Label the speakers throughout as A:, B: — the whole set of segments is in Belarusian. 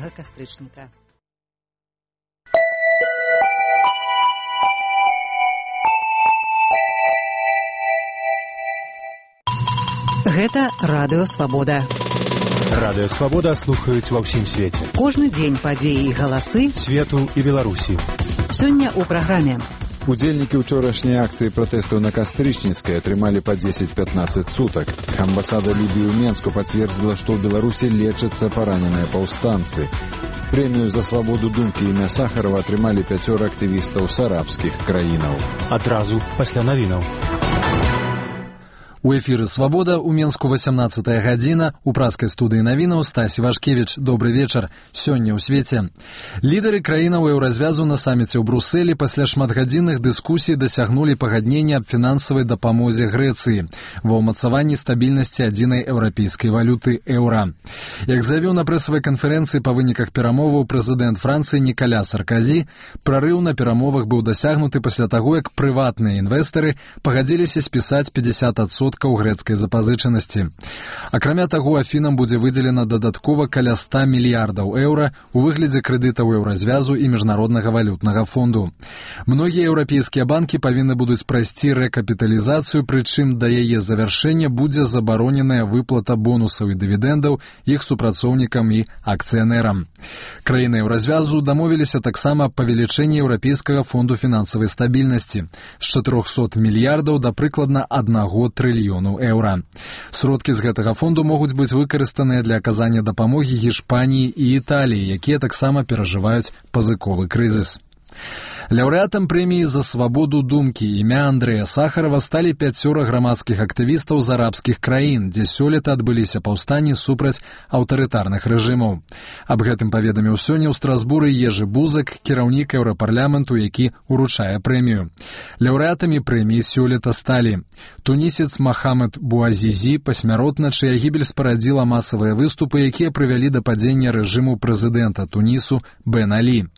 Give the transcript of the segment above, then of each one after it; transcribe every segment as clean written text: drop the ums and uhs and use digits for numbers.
A: кастрычніка. Гэта Радыё Свабода.
B: Радыё Свабода слухаюць ва ўсім свеце.
A: Кожны дзень падзеі і галасы
B: свету і Беларусі.
A: Сёння ў праграме.
C: Удзельнікі ўчорашняй акцыі пратэсту на Кастрычніцкай атрымалі па 10-15 сутак. Амбасада Лібіі ў Менску пацвердзіла, што ў Беларусі лечацца параненыя паўстанцы. Прэмію за свабоду думкі імя Сахарова атрымалі 5 актывістаў з арабскіх краінаў.
B: Адразу пасля навінаў.
D: У эфіры «Свабода» у Менску 18-я гадзіна. У праскай студыі навінаў Стась Івашкевіч. Добры вечар. Сёння ў свеце. Лідары краінаў еўразвязу на саміце ў Брусэлі пасля шматгадзінных дыскусій дасягнулі пагаднення аб фінансавай дапамозе Грэцыі ва ўмацаванні стабільнасці адзінай еўрапейскай валюты еўра. Як заявіў на прэсавай канферэнцыі па выніках перамоваў прэзідэнт Францыі Нікаля Сарказі, прарыў на перамовах быў дасягнуты пасля таго, як прыватныя інвестары пагадзіліся спісаць 50% грэцкай запазычанасці. Акрамя таго, Афінам будзе выдзелена дадаткова каля 100 мільярдаў еўра у выглядзе крэдытаў еўразвязу і міжнароднага валютнага фонду. Многія еўрапейскія банкі павінны будуць прайсці рэкапіталізацыю, прычым да яе завяршэння будзе забароненая выплата бонусаў і дывідэндаў іх супрацоўнікам і акцыянерам. Краіны еўразвязу дамовіліся таксама аб павелічэнні еўрапейскага фонду фінансавай стабільнасці з 400 мільярдаў да прыкладна 1 трыльёна еўра. Сродкі з гэтага фонду могуць быць выкарыстаныя для аказання дапамогі Гішпаніі і Італіі, якія таксама перажываюць пазыковы крызіс. Лаўрэатам прэміі за свабоду думкі імя Андрэя Сахарова сталі 5 грамадскіх актывістаў з арабскіх краін, дзе сёлета адбыліся паўстанні супраць аўтарытарных рэжымаў. Аб гэтым паведаміў сёння ў Страсбуры Ежы Бузак, кіраўнік еўрапарламенту, які уручае прэмію. Лаўрэатамі прэміі сёлета сталі тунісец Махамед Буазізі, пасмяротна, чыя гібель спарадзіла масавыя выступы, якія прывялі да падзення рэжыму прэзідэнта Тунісу Бен Алі.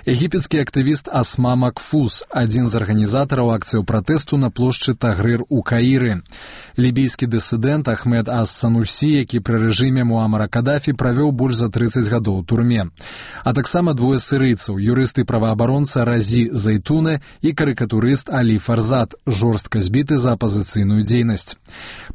D: Егіпецкі актывіст Асма Макфуз, адзін з арганізатараў акцыяў пратэсту на плошчы Тагрыр у Каіры. Лібійскі дысідэнт Ахмед Ас-Санусі, які пры рэжыме Муамара Кадафі правёў больш за 30 гадоў у турме. А таксама 2 сірыйцаў, юрыст і праваабаронца Разі Зайтуне і карыкатурыст Алі Фарзат, жорстка збіты за апазіцыйную дзейнасць.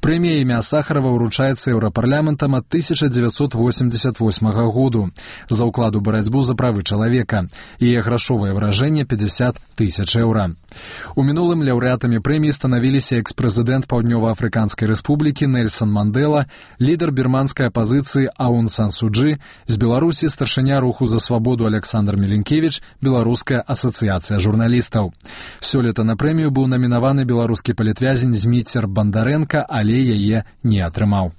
D: Прэмія імя Сахарова ўручаецца еўрапарламентам ад 1988 году за ўклад у барацьбу за правы чалавека. Яе грашовае выражэнне 50 000 еўра. У мінулым лаўрэатамі прэміі станавіліся экс-прэзідэнт Паўднёва-Афрыканскай рэспублікі Нельсан Мандела, лідар бірманскай апазіцыі Аун Сан Суджы, з Беларусі старшыня руху за свабоду Александр Меленкевіч, Беларуская асацыяцыя журналістаў. Сёлета на прэмію быў намінаваны беларускі палітвязень Зміцер Бандарэнка, але яе не атрымаў.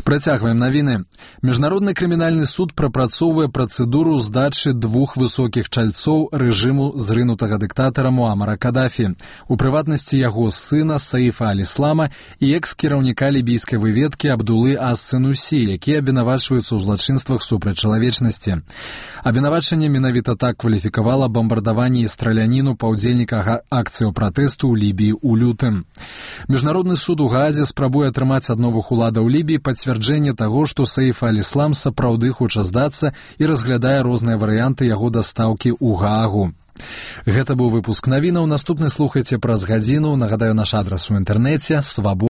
D: Працягваем навіны. Міжнародны крымінальны суд прапрацоўвае працэдуру здачы 2 высокіх чальцоў рэжыму зрынутага дыктатара Муамара Кадафі, у прыватнасці яго сына Саіфа Аль-Іслама і экс-кіраўніка лібійскай выведкі Абдулы Ас-Санусі, якія абвінавачваюцца ў злачынствах супраць чалавечнасці. Абвінавачанне менавіта так кваліфікавала бамбардаванне і страляніну паўдзельніка акцыяў пратэсту ў Лібіі ў лютым. Міжнародны суд у Гаазе спрабуе атрымаць ад новых уладаў Лібіі пацверджэнне таго, што Саіф Аль-Іслам сапраўды хоча здацца і разглядае розныя варыянты яго дастаўкі ў Гаагу. Гэта быў выпуск навінаў. Наступны слухайце праз гадзіну. Нагадаю, наш адрас у інтэрнэце свабода.